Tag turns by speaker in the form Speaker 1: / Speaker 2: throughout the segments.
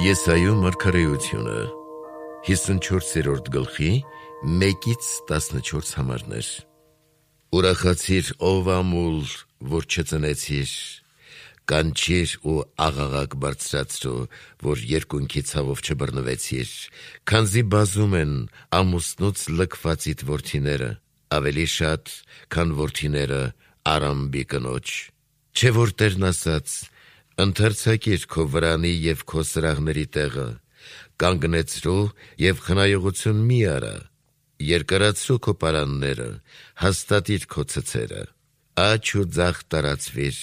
Speaker 1: Եսայու մարգարեությունը 54-րդ գլխի 1-14 համարներ։ Ուրախացիր, ով ամուլ, որ չծնեցիր, կանչիր ու աղաղակ բարձրացրու, որ երկունքի ցավով չբռնվեցիր, քանզի բազում են ամուսնուց լքվածիդ որդիները, ավելի շատ, քան որդիները Արամբի կնոջ։ Չէ որ Տերն ասաց. ընթերցակիր քո վրանի և քո սրահների տեղը, կանգնեցրու և խնայողություն մի արա, երկարացրու քո պարանները, հաստատիր քո ցցերը, աջ ու ձախ տարածվիր,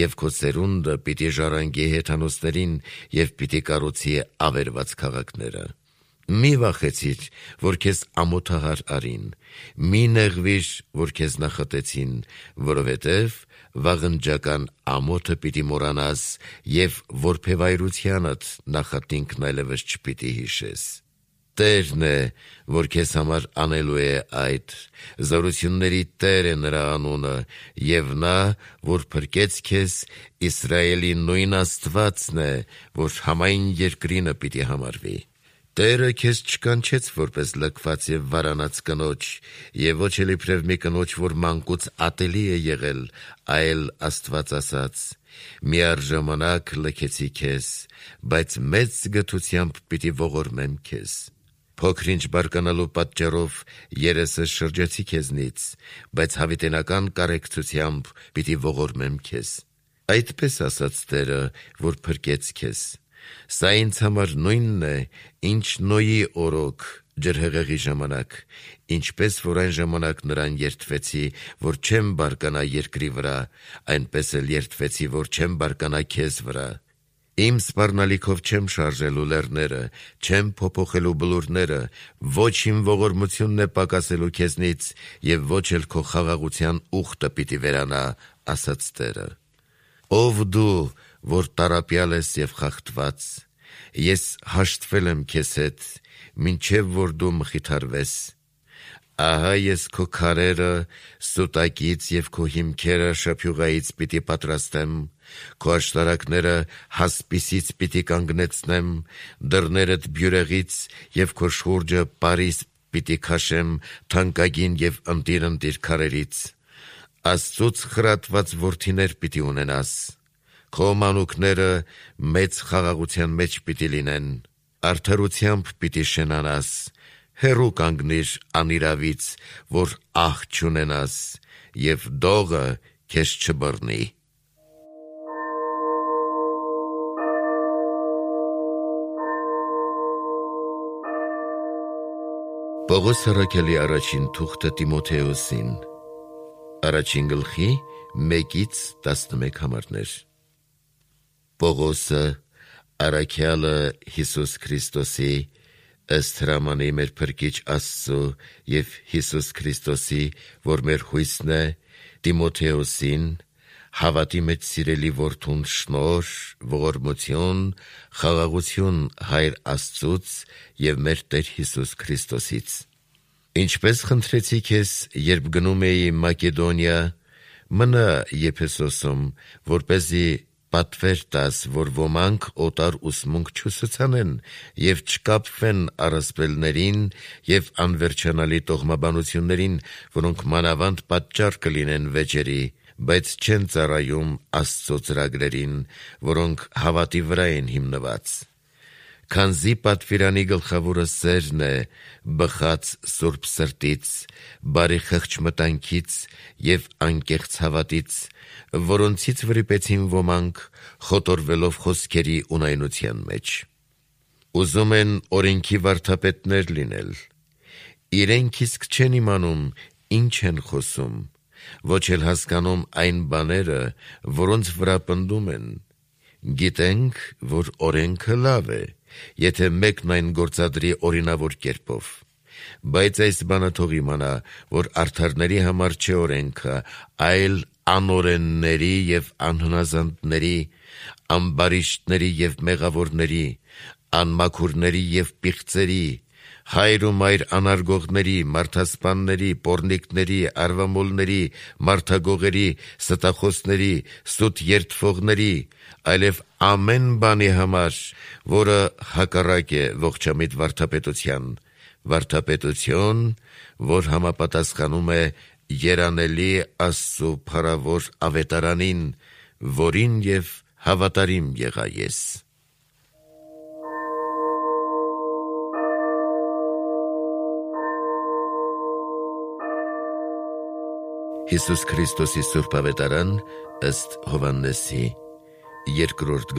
Speaker 1: և քո սերունդը պիտի ժառանգի հեթանոսներին և պիտի կառուցի ավերված քաղաքները։ Մի վախեցիր, որ քեզ ամոթահար արին, մի նեղվիր, որ քեզ նախատեցին, որովհետև վաղնջական ամոթը պիտի մոռանաս և որբևայրությանդ նախատինքն այլևս չպիտի հիշես։ Տերն է, որ քեզ համար անելու է այդ, զորությունների Տեր է նրա անունը, և նա, որ փրկեց քեզ, Իսրայելի նույն Աստվածն է, որ համայն երկրինը պիտի համարվի։ Տերը քեզ չկանչեց որպես լքված և վարանած կնոջ, և ոչ էլ իբրև մի կնոջ, որ մանկուց ատելի է եղել, այլ Աստված ասաց. միառժամանակ լքեցի քեզ, բայց մեծ գթությամբ պիտի ողորմեմ քեզ։ Փոքր-ինչ բարկանալու պատճառով երեսը շրջեցի քեզնից, բայց հավիտենական կարեկցությամբ պիտի ողորմեմ քեզ։ Այդպես ասաց Տերը, որ փրկեց քեզ։ Սա ինձ համար նույնն է, ինչ Նոյի օրոք ջրհեղեղի ժամանակ, ինչպես որ այն ժամանակ նրան երդվեցի, որ չեմ բարկանա երկրի վրա, այնպես էլ երդվեցի, որ չեմ բարկանա քեզ վրա։ Իմ սպառնալիքով չեմ շարժելու լեռները, չեմ փոփոխելու բլուրները, ոչ իմ ողորմությունն է պակասելու քեզնից, և ոչ էլ քո խաղաղության ուխտը պիտի վերանա, ասաց Տերը։ Ով դու, որ տառապյալ ես և խախտված, ես հաշտվել եմ քեզ հետ, մինչև որ դու մխիթարվես։ Ահա ես քո քարերը սուտակից և քո հիմքերը շափյուղայից պիտի պատրաստեմ, քո աշտարակները հասպիսից պիտի կանգնեցնեմ, դռներդ բյուրեղից և քո շուրջը պարիս պիտի քաշեմ թանկագին և ընտիր քարերից։ Աստծուց խրատված որդիներ պիտի ունենաս, քո մանուկները մեծ խաղաղության մեջ պիտի լինեն, արդարությամբ պիտի շենանաս, հեռու կանգնիր անիրավից, որ ահ չունենաս, և դողը քեզ չբռնի։ Պողոս առաքյալի առաջին թուղթը Տիմոթեոսին, առաջին գլխի 1-11 համարներ։ Պողոսը, առաքյալը Հիսուս Քրիստոսի, ըստ հրամանի մեր Փրկիչ Աստծու և Հիսուս Քրիստոսի, որ մեր հույսն է, Տիմոթեոսին, հավատի մեջ սիրելի որդուն շնորհ, ողորմություն, խաղաղություն Հայր Աստծուց և մեր Տեր Հիսուս Քրիստոսից։ Ինչպես խնդրեցի քեզ, երբ գնում էի Մակեդոնիա, մնա Եփեսոսում, որպեսզի պատվեր տաս, որ ոմանք օտար ուսմունք չուսուցանեն և չկապվեն առասպելներին և անվերջանալի տոհմաբանություններին, որոնք մանավանդ պատճառ կլինեն վեճերի, բայց չեն ծառայում Աստծո ծրագրերին, որոնք հավատի վրա են հիմնված։ Քանզի պատվիրանի գլխավորը սերն է, բխած սուրբ սրտից, բարի խղճմտանքից և անկեղծ հավատից, որոնցից վրիպեցին ոմանք, խոտորվելով խոսքերի ունայնության մեջ։ Ուզում են օրենքի վարդապետներ լինել։ Իրենք իսկ չեն իմանում ինչ են խոսում, ոչ էլ հասկանում այն բաները, որոնց վրա պնդում են։ Գիտենք, որ օրենքը լավ է, եթե մեկն այն գործադրի օրինավոր կերպով, բայց այս բանը թող իմանա, որ արդարների համար չէ օրենքը, այլ անօրենների և անհնազանդների, ամբարիշտների և մեղավորների, անմաքուրների և պիղծերի, հայր ու մայր անարգողների, մարդասպանների, պոռնիկների, արվամոլների, մարդագողերի, ստախոսների, սուտ երդվողների, այլև ամեն բանի համար, որը հակառակ է ողջամիտ վարդապետության, վարդապետություն, որ համապատասխանում է երանելի Աստծու փառավոր ավետարանին, որին և հավատարիմ եղա ես։ Հիսուս Քրիստոսի Սուրբ Ավետարան ըստ Հովհաննեսի 2-րդ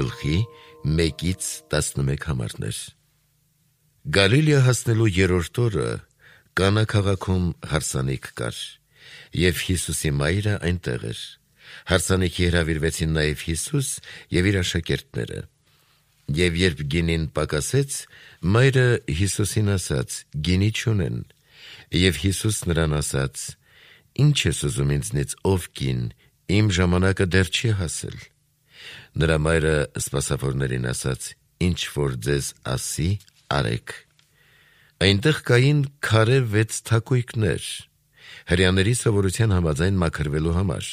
Speaker 1: 1-11 համարներ։ Գալիլեա հասնելու 3-րդ օրը Կանա քաղաքում հարսանիք կար, և Հիսուսի մայրը այնտեղ էր։ Հարսանիքի հրավիրվեցին նաև Հիսուս և իր աշակերտները։ Եվ երբ գինին պակասեց, մայրը Հիսուսին ասաց. «Գինի չունեն»։ Եվ Հիսուս նրան ասաց. «Ինչ ես ուզում ինձնից, ով կին, իմ ժամանակը դեռ չի հասել»։ Նրա մայրը սպասավորներին ասաց. «Ինչ որ ձեզ ասի, արեք»։ Այնտեղ կային քարե 6 թակույկներ, հրեաների սովորության համաձայն մաքրվելու համար։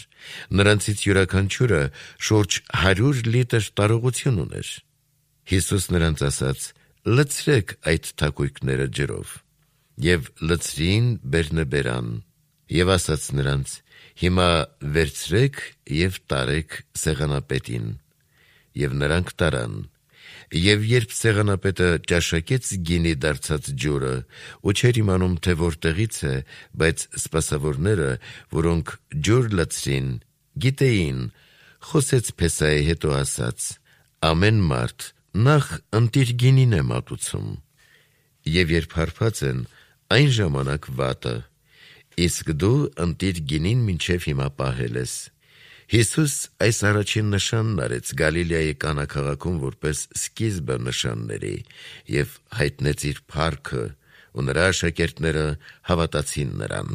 Speaker 1: Նրանցից յուրաքանչյուրը շուրջ 100 լիտր տարողություն ուներ։ Հիսուս նրանց ասաց. «Լցրեք այդ թակույկները ջրով»։ Եվ լցրին բերնբերան։ Եվ ասաց նրանց. «Հիմա վերցրեք և տարեք սեղանապետին»։ Եվ նրանք տարան։ Եվ երբ սեղանապետը ճաշակեց գինի դարձած ջուրը, ու չէր իմանում, թե որտեղից է, բայց սպասավորները, որոնք ջուր լցրին, գիտեին, խոսեց Փեսայի հետո ասաց. «Ամեն մարդ նախ ընտիր գինին է մատուցում, և երբ հարբած են, այն ժամանակ վատը, իսկ դու ընտիր գինին մինչև հիմա պահել ես»։ Հիսուս այս առաջին նշանն արեց Գալիլեայի Կանա քաղաքում որպես սկիզբը նշանների և հայտնեց իր փառքը, ու նրա աշակերտները հավատացին նրան։